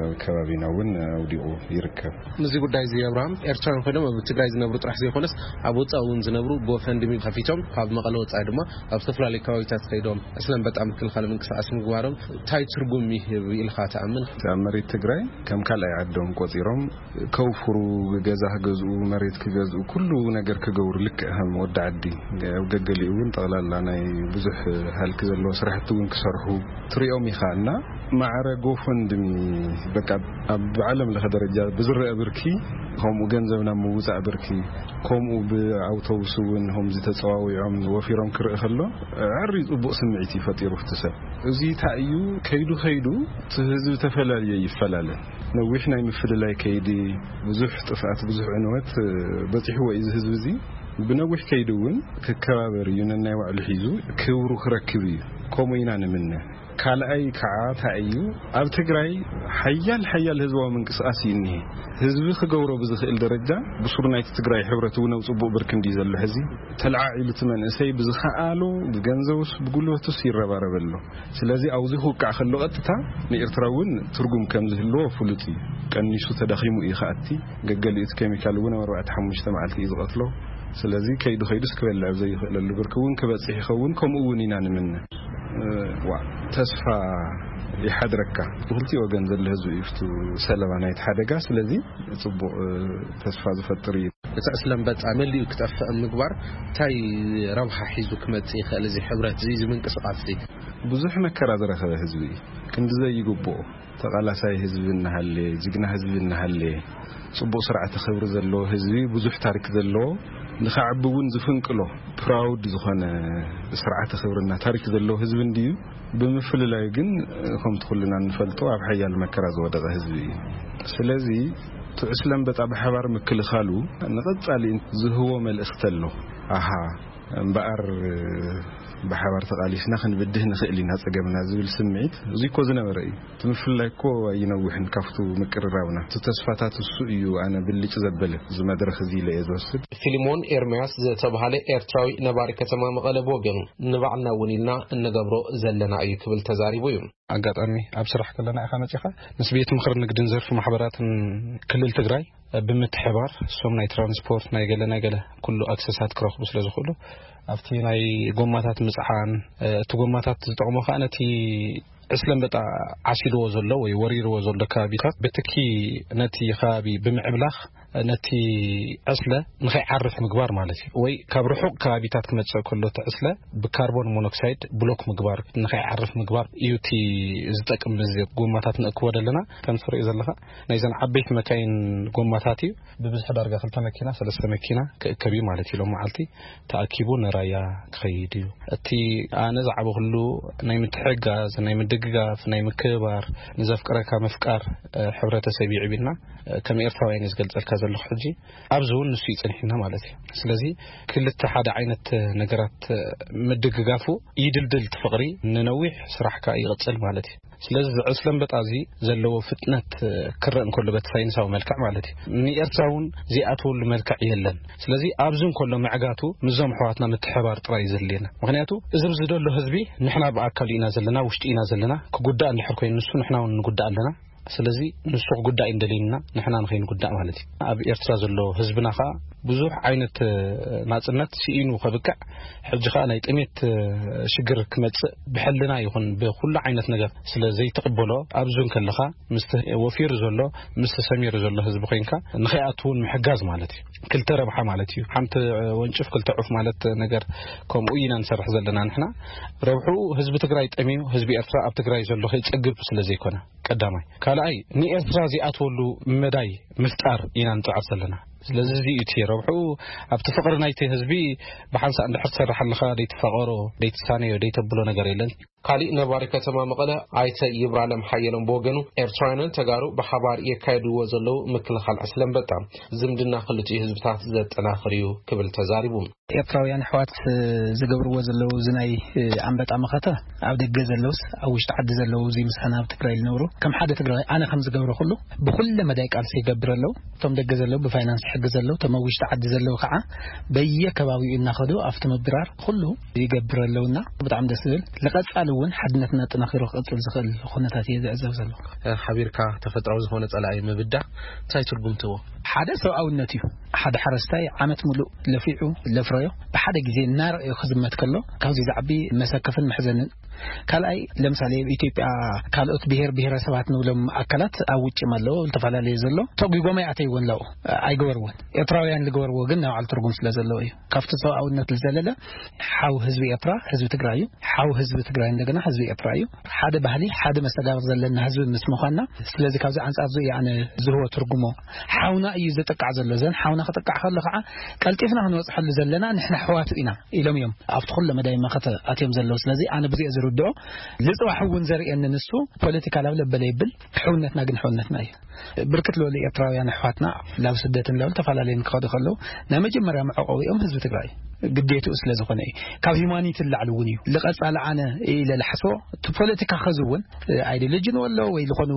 ኣብ ከባቢና እውን ኣውዲቑ ይርከብ። ምስዚ ጉዳይ እዚ ኣብርሃም ኤርትራውያን ኮይኖም ኣብ ትግራይ ዝነብሩ ጥራሕ ዘይኮነስ ኣብ ወፃኢ እውን ዝነብሩ ጎፈንድሚ ከፊቶም ካብ መቐለ ወፃኢ ድማ ኣብ ዝተፈላለዩ ከባቢታት ከይዶም ዕስለ ኣንበጣ ምክልኻል ምንቅስቃስ ምግባሮም እንታይ ትርጉም ይህብ ኢልካ ትኣምን? ኣብ መሬት ትግራይ ከም ካልኣይ ዓዶም ቆፂሮም ከውፍሩ፣ ገዛ ክገዝኡ፣ መሬት ክገዝኡ፣ ኩሉ ነገር ክገብሩ ልክዕ ከም ወዲ ዓዲ ኣብ ገገሊኡ እውን ጠቕላላ ናይ ብዙሕ ሃልኪ ዘለዎ ስራሕቲ እውን ክሰርሑ ትሪኦም ኢኻ እና ማዕረ ጎፈንድሚ በቃ ኣብ ዓለም ለኸ ደረጃ ብዝረአ ብርኪ ከምኡ ገንዘብ ናብ ምውፃእ ብርኪ ከምኡ ብኣውቶቡስ እውን ከምዚ ተፀዋዊዖም ወፊሮም ክርኢ ከሎ ዕሪ ፅቡቕ ስምዒት እዩ ፈጢሩ እቲ ሰብ። እዚ እንታይ እዩ ከይዱ ከይዱ እቲ ህዝቢ ተፈላለየ ይፈላለ። ነዊሕ ናይ ምፍልላይ ከይዲ ብዙሕ ጥፍኣት ብዙሕ ዕንወት በፂሕዎ እዩ እዚ ህዝቢ እዚ። ብነዊሕ ከይዲ እውን ክከባበር እዩ ነናይ ባዕሉ ሒዙ ክብሩ ክረክብ እዩ። ከምኡ ኢና ንምነ። ካልኣይ ከዓ እንታይ እዩ ኣብ ትግራይ ሓያል ሓያል ህዝባዊ ምንቅስቃስ እዩ እኒሄ። ህዝቢ ክገብሮ ብዝኽእል ደረጃ ብሱር ናይቲ ትግራይ ሕብረት እውን ኣብ ፅቡቕ ብርክ እንዲ ዘሎ ሕዚ ተለዓዒሉ እቲ መንእሰይ ብዝኸኣሎ ብገንዘቡስ ብጉልበቱስ ይረባረበ ኣሎ። ስለዚ ኣብዚ ክውቃዕ ከሎ ቀጥታ ንኤርትራ እውን ትርጉም ከም ዝህልዎ ፍሉጥ እዩ። ቀኒሱ ተዳኺሙ እዩ ከኣቲ። ገገሊኡ እቲ ኬሚካል እውን ኣብ ኣርባዕተ ሓሙሽተ መዓልቲ እዩ ዝቐትሎ። ስለዚ ከይዱ ከይዱስ ክበልዕ ኣብ ዘይኽእለሉ ብርኪ እውን ክበፅሕ ይኸውን። ከምኡ እውን ኢና ንምነ። ዋ ተስፋ ይሓድረካ። ብክልቲኡ ወገን ዘሎ ህዝቢ እዩ ፍቱ ሰለባ ናይቲ ሓደጋ። ስለዚ ፅቡቕ ተስፋ ዝፈጥር እዩ። እቲ ዕስለ ኣንበጣ መሊኡ ክጠፍእ ምግባር እንታይ ረብሓ ሒዙ ክመጽእ ይኽእል? እዚ ሕብረት እዚ እዚ ምንቅስቃስ እዚ ብዙሕ መከራ ዝረኸበ ህዝቢ እዩ። ክንዲ ዘይግብኦ ተቓላሳይ ህዝቢ እናሃለ፣ ጅግና ህዝቢ እናሃለ፣ ጽቡቕ ስርዓተ ክብሪ ዘለዎ ህዝቢ፣ ብዙሕ ታሪክ ዘለዎ፣ ንኸዓቢ እውን ዝፍንቅሎ ፕራውድ ዝኾነ ስርዓተ ክብርና ታሪክ ዘለዎ ህዝቢ እንድዩ። ብምፍልላዩ ግን ከምቲ ኩልና እንፈልጦ ኣብ ሓያል መከራ ዝወደቐ ህዝቢ እዩ። ስለዚ እቲ ዕስለ ኣንበጣ ብሓባር ምክልኻሉ ንቐጻሊ ዝህቦ መልእኽቲ ኣሎ። ኣሃ እምበኣር ብሓባር ተቓሊስና ክንብድህ ንኽእል ኢና ጸገምና ዝብል ስምዒት እዚ እኮ ዝነበረ እዩ። እቲ ምፍልላይ እኮ ኣይነውሕን ካብቱ ምቅርራብና። እቲ ተስፋታት እሱ እዩ ኣነ ብልጭ ዘበለ እዚ መድረኽ እዚ ኢለ እየ ዝወስድ። ፊልሞን ኤርምያስ ዝተባህለ ኤርትራዊ ነባሪ ከተማ መቐለ ብወገኑ ንባዕልና እውን ኢልና እንገብሮ ዘለና እዩ ክብል ተዛሪቡ እዩ። ኣጋጣሚ ኣብ ስራሕ ከለና ኢኻ መጺኻ ምስ ቤት ምኽሪ ንግድን ዘርፊ ማሕበራትን ክልል ትግራይ ብምትሕባር እሶም ናይ ትራንስፖርት ናይ ገለ ናይ ገለ ኩሉ ኣክሰሳት ክረኽቡ ስለ ዝኽእሉ ኣብቲ ናይ ጎማታት ምጽዓን እቲ ጎማታት ዝጠቕሞ ከዓ ነቲ ዕስለ ኣንበጣ ዓሲድዎ ዘሎ ወይ ወሪርዎ ዘሎ ከባቢታት ብትኪ ነቲ ከባቢ ብምዕብላኽ ነቲ ዕስለ ንኸይዓርፍ ምግባር ማለት እዩ። ወይ ካብ ርሑቕ ከባቢታት ክመጽእ ከሎ እቲ ዕስለ ብካርቦን ሞኖክሳይድ ብሎክ ምግባር ንኸይዓርፍ ምግባር እዩ እቲ ዝጠቅም። እዚ ጎማታት ንእክቦ ዘለና ከም ትሪኦ ዘለኻ ናይዘን ዓበይቲ መካይን ጎማታት እዩ። ብብዝሒ ዳርጋ ክልተ መኪና ሰለስተ መኪና ክእከብ እዩ ማለት እዩ። ሎም መዓልቲ ተኣኪቡ ንራያ ክኸይድ እዩ። እቲ ኣነ ዝዓበኹሉ ናይ ምትሕግጋዝ ናይ ምድግጋፍ ናይ ምክብባር ንዘፍቅረካ ምፍቃር ሕብረተሰብ ይዕብና። ከም ኤርትራውያን እዩ ዝገልጸልካ ዘለኹ ሕጂ ኣብዚ እውን ንሱ እዩ ጸኒሕና ማለት እዩ። ስለዚ ክልተ ሓደ ዓይነት ነገራት ምድግጋፉ ይድልድል እቲ ፍቕሪ ንነዊሕ ስራሕ ከኣ ይቕጽል ማለት እዩ። ስለዚ እዚ ዕስለ ኣንበጣ እዚ ዘለዎ ፍጥነት ክረእ እንከሎ በቲ ሳይንሳዊ መልክዕ ማለት እዩ ንኤርትራ እውን ዘይኣትወሉ መልክዕ የለን። ስለዚ ኣብዚ እንከሎ ምዕጋቱ ምስዞም ኣሕዋትና ምትሕባር ጥራይ እዩ ዘድልየና። ምክንያቱ እዚ ኣብዚ ዘሎ ህዝቢ ንሕና ብኣካሉ ኢና ዘለና ውሽጢ ኢና ዘለና ክጉዳእ እንድሕር ኮይኑ ንሱ ንሕና እውን ንጉዳእ ኣለና። ስለዚ ንሱ ክጉዳእ እዩ እንደልየና፣ ንሕና ንኸይንጉዳእ ማለት እዩ። ኣብ ኤርትራ ዘሎ ህዝብና ኸኣ ብዙሕ ዓይነት፣ እ፣ ናጽነት ስኢኑ ከብቅዕ፣ ሕጂ ኸኣ ናይ ጥሜት፣ እ፣ ሽግር ክመጽእ ብሕልና ይኹን ብኹሉ ዓይነት ነገር ስለ ዘይትቕበሎ፣ ኣብዚ እውን ከለኻ ምስቲ ወፊሩ ዘሎ፣ ምስቲ ሰሚሩ ዘሎ ህዝቢ ኮይንካ ንኸይኣቱ እውን ምሕጋዝ ማለት እዩ። ክልተ ረብሓ ማለት እዩ። ሓንቲ ወንጭፍ ክልተ ዑፍ ማለት ነገር ከምኡ ኢና ንሰርሕ ዘለና ንሕና። ረብሕኡ ህዝቢ ትግራይ ጠምዩ፣ ህዝቢ ኤርትራ ኣብ ትግራይ ዘሎ ከይጸግብ ስለ ዘይኮነ ቀዳማይ። ካልኣይ ንኤርትራ ዘይኣትወሉ መዳይ ምፍጣር ኢና ንጽዕር ዘለና። ስለዚ እዚ እዩ እቲ ረብሕኡ። ኣብቲ ፍቕሪ ናይቲ ህዝቢ ብሓንሳእ እንድሕር ትሰርሕ ኣለኻ፣ ደይትፋቐሮ፣ ደይትሳነዮ፣ ደይተብሎ ነገር የለን። ካሊእ ነባሪ ከተማ መቐለ ኣይተ ይብራለም ሓየሎም ብወገኑ፣ ኤርትራውያንን ተጋሩ ብሓባር የካየድዎ ዘለዉ ምክልኻል ዕስለ ኣንበጣ ዝምድና ክልቲኡ ህዝብታት ዘጠናኽር እዩ ክብል ተዛሪቡ። ኤርትራውያን ኣሕዋት ዝገብርዎ ዘለዉ እዚ ናይ ኣንበጣ መኸተ፣ ኣብ ደገ ዘለውስ ኣብ ውሽጢ ዓዲ ዘለዉ፣ እዚ ምሳና ኣብ ትግራይ ዝነብሩ፣ ከም ሓደ ትግራዋይ ኣነ ከም ዝገብሮ ኩሉ ብኩለ መዳይ ቃልሲ ይገብር ኣለዉ። እቶም ደገ ዘለዉ ብፋይናንስ ይሕግዝ ኣለዉ፣ እቶም ኣብ ውሽጢ ዓዲ ዘለዉ ከዓ በየከባቢኡ እናኸዱ ኣብቲ ምብራር ኩሉ ይገብር ኣለዉና። ብጣዕሚ ደስ ዝብል፣ ንቐጻሊ እውን ሓድነትና ኣጠናኺሩ ክቕጽል ዝኽእል ኩነታት እየ ዝዕዘብ ዘለኹ። ሓቢርካ ተፈጥራዊ ዝኾነ ጸላኢ ምብዳህ እንታይ ትርጉም ትህቦ? ሓደ ሰብኣውነት እዩ። ሓደ ሓረስታይ ዓመት ሙሉእ ለፊዑ ለፍረዮ ብሓደ ግዜ እናረኣዮ ክዝመት ከሎ ካብዚ ዝዓቢ መሰከፍን መሕዘንን። ካልኣይ፣ ለምሳሌ ኣብ ኢትዮጵያ ካልኦት ብሔር ብሔረሰባት ንብሎም ኣካላት ኣብ ውጭም ኣለዎ፣ ዝተፈላለዩ ዘሎ ተጒጎም ኣይኣተይዎን ላው ኣይገበርዎን። ኤርትራውያን ዝገበርዎ ግን ናይ ባዕሉ ትርጉም ስለ ዘለዎ እዩ። ካብቲ ሰብኣውነት ዝዘለለ ሓው ህዝቢ ኤርትራ ህዝቢ ትግራይ እዩ። ሓው ህዝቢ ትግራይ እንደገና ህዝቢ ኤርትራ እዩ። ሓደ ባህሊ፣ ሓደ መስተጋብር ዘለና ህዝቢ ምስ ምዃንና፣ ስለዚ ካብዚ ኣንጻር እዚ እዩ ኣነ ዝህቦ ትርጉሞ። ሓውና እዩ ዝጥቃዕ ዘሎ። ዘን ሓውና ክጥቃዕ ከሎ ከዓ ቀልጢፍና ክንበጽሐሉ ዘለና ንሕና ኣሕዋቱ ኢና ኢሎም እዮም ኣብቲ ኩለ መዳይ መኸተ ኣትዮም ዘለዉ። ስለዚ ኣነ ብዙ እየ ዝርድኦ። ልጽባሕ እውን ዘርእየኒ ንሱ ፖለቲካ ላብ ለበለ ይብል፣ ሕውነትና ግን ሕውነትና እዩ። ብርክት ዝበሉ ኤርትራውያን ኣሕዋትና ላብ ስደትን ላብ ዝተፈላለዩ ክኸዱ ከለዉ ናይ መጀመርያ መዕቆቢኦም ህዝቢ ትግራይ ግዴትኡ ስለ ዝኾነ እዩ። ካብ ሂማኒቲ ላዕሊ እውን እዩ። ልቐጻሊ ኣነ ኢለ ልሓስቦ እቲ ፖለቲካ ከዚ እውን ኣይዲዮሎጂ ንወሎ ወይ ዝኾኑ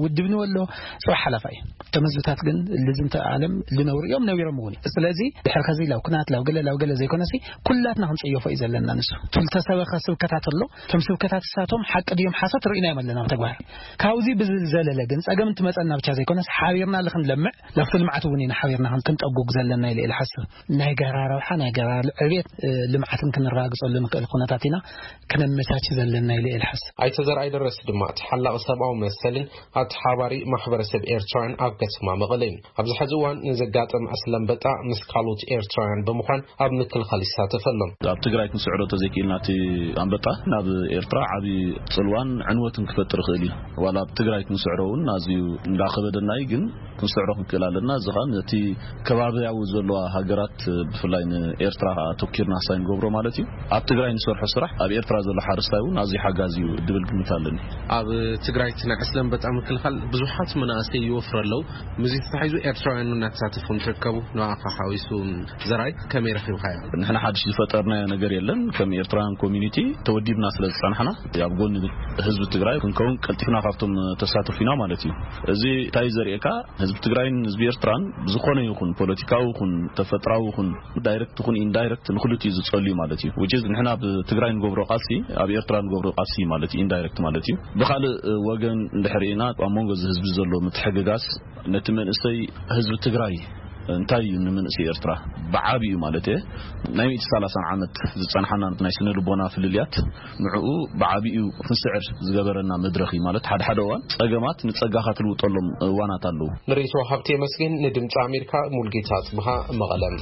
ውድብ ንወሎ ጽባሕ ሓላፋ እዩ። እቶም ህዝብታት ግን ልዝንተ ዓለም ልነብሩ እዮም፣ ነቢሮም እውን እዩ። ስለዚ ድሕሪ ከዚ ላብ ኩናት ላብ ገለ ላብ ገለ ዘይኮነሲ ኩላትና ክንጽየፎ እዩ ዘለና። ንሱ ትልተ ሰበኸ ስብከታት ኣሎ። እቶም ስብከታት እሳቶም ሓቂ ድዮም ሓሶት ርኢናዮም ኣለና ብተግባር። ካብዚ ብዝዘለለ ግን ጸገም እንትመጸና ብቻ ዘይኮነስ ሓቢርና ልክንለምዕ ላብቲ ልምዓት እውን ኢና ሓቢርና ክን-፣ ክንጠጉግ ዘለና ኢለ ኢለ ሓስብ። ናይ ጋራ ረብሓ ናይ ጋራ ዕቤት፣ እ፣ ልምዓትን ክንረጋግጸሉ ንክእል ኩነታት ኢና ክነመቻች ዘለና ኢለ ኢለ ሓስብ። ኣይተ ዘርኣይ ደረስ ድማ ተሓላቒ ሰብኣዊ መሰልን ኣተሓባሪ ማሕበረሰብ ኤርትራውያን ኣብ ከተማ መቐለ እዩ። ኣብዚ ሕዚ እዋን ንዘጋጠመ ዕስለ ኣንበጣ ምስ ካልኦት ኤርትራውያን ብምዃን ኣብ ምክልኻል ይሳተፍ ኣሎ። ኣብ ትግራይ ክንስዕሮ ተዘይክኢልና እቲ ኣንበጣ ናብ ኤርትራ ዓቢ ጽልዋን ዕንወትን ክፈጥር ይኽእል እዩ። ዋላ ኣብ ትግራይ ክንስዕሮ እውን ኣዝዩ እንዳኸበደና እዩ፣ ግን ክንስዕሮ ክንክእል ኣለና። እዚ ኸኣ ነቲ ከባብያዊ ዘለዋ ሃገራት ብፍላይ ንኤርትራ ኸኣ ኣተኪርና ሳይ ንገብሮ ማለት እዩ። ኣብ ትግራይ ንሰርሖ ስራሕ ኣብ ኤርትራ ዘሎ ሓረስታይ እውን ኣዝዩ ሓጋዚ እዩ ድብል ግምት ኣለኒ። ኣብ ትግራይ እቲ ናይ ዕስለ ኣንበጣ ምክልኻል ብዙሓት መናእሰይ ይወፍሩ ኣለዉ። ምስዚ ተታሒዙ ኤርትራውያን እናተሳተፉ እንትርከቡ፣ ንኣኻ ሓዊሱ ዘርኣይ ከመይ ረኺብካዮ? ንሕና ሓድሽ ዝፈጠርናዮ ነገር የለን። ከም ኤርትራውያን ኮሚኒቲ ተወዲብና ስለ ዝጸናሕና፣ ኣብ ጎኒ ህዝቢ ትግራይ ክንከውን ቀልጢፍና ካብቶም ተሳተፉ ኢና ማለት እዩ። እዚ እንታይ ዘርእየካ? ህዝቢ ትግራይን ህዝቢ ኤርትራን ብዝኾነ ይኹን ፖለቲካዊ ይኹን ተፈጥራዊ ይኹን ዳይሬክት ይኹን ኢንዳይሬክት ንክልቲኡ ዝጸልዩ ማለት እዩ። Which is ንሕና ኣብ ትግራይ ንገብሮ ቃልሲ ኣብ ኤርትራ ንገብሮ ቃልሲ ማለት እዩ፣ ኢንዳይሬክት ማለት እዩ። ብኻልእ ወገን እንድሕር ኢና ኣብ መንጎ እዚ ህዝቢ ዘሎ ምትሕግጋዝ ነቲ መንእሰይ ህዝቢ ትግራይ እንታይ እዩ ንመንእሰይ ኤርትራ ብዓቢኡ ማለት እየ ናይ ሚእቲ ሰላሳን ዓመት ዝጸንሓና ናይ ስነ ልቦና ፍልልያት ንዕኡ ብዓቢኡ ክንስዕር ዝገበረና መድረኽ እዩ። ማለት ሓደ ሓደ እዋን ጸገማት ንጸጋኻ ትልውጠሎም እዋናት ኣለዉ። ንርእይቶ ሃብቲ የመስግን፣ ንድምፂ ኣሜሪካ ሙልጌታ ጽብሃ መቐለም።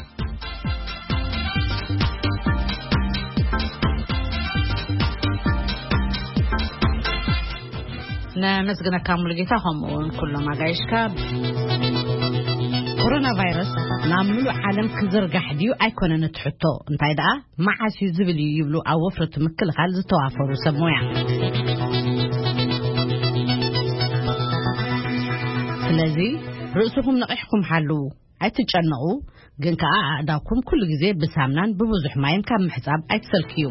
ነመስግነካ ሙሉጌታ፣ ከምኡ እውን ኩሎም ኣጋይሽካ። ኮሮና ቫይረስ ናብ ምሉእ ዓለም ክዝርጋሕ ድዩ ኣይኮነን እቲ ሕቶ፣ እንታይ ደኣ መዓስ እዩ ዝብል እዩ ይብሉ ኣብ ወፍሪ እቲ ምክልኻል ዝተዋፈሩ ሰብ ሞያ። ስለዚ ርእስኹም ነቒሕኩም ሓልዉ። ኣይትጨነቑ፣ ግን ከኣ ኣእዳውኩም ኩሉ ግዜ ብሳምናን ብብዙሕ ማይን ካብ ምሕጻብ ኣይትሰልክዩ።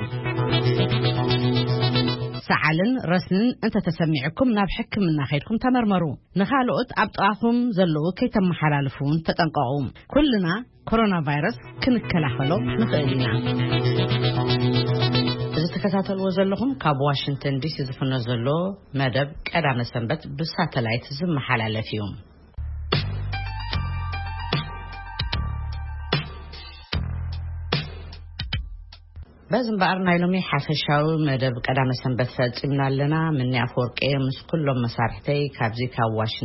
ሰዓልን ረስንን እንተተሰሚዕኩም ናብ ሕክምና ከይድኩም ተመርመሩ። ንኻልኦት ኣብ ጥቓኹም ዘለዉ ከይተመሓላልፉ እውን ተጠንቀቑ። ኩልና ኮሮና ቫይረስ ክንከላኸሎ ንኽእል ኢና። እዚ ትከታተልዎ ዘለኹም ካብ ዋሽንግተን ዲሲ ዝፍኖ ዘሎ መደብ ቀዳመ ሰንበት ብሳተላይት ዝመሓላለፍ እዩ። በዚ እምበኣር ናይ ሎሚ ሓፈሻዊ መደብ ቀዳመ ሰንበት ፈጺምና ኣለና። ምኒ ኣፈወርቂ ምስ ኩሎም መሳርሕተይ ካብዚ ካብ ዋሽንግተን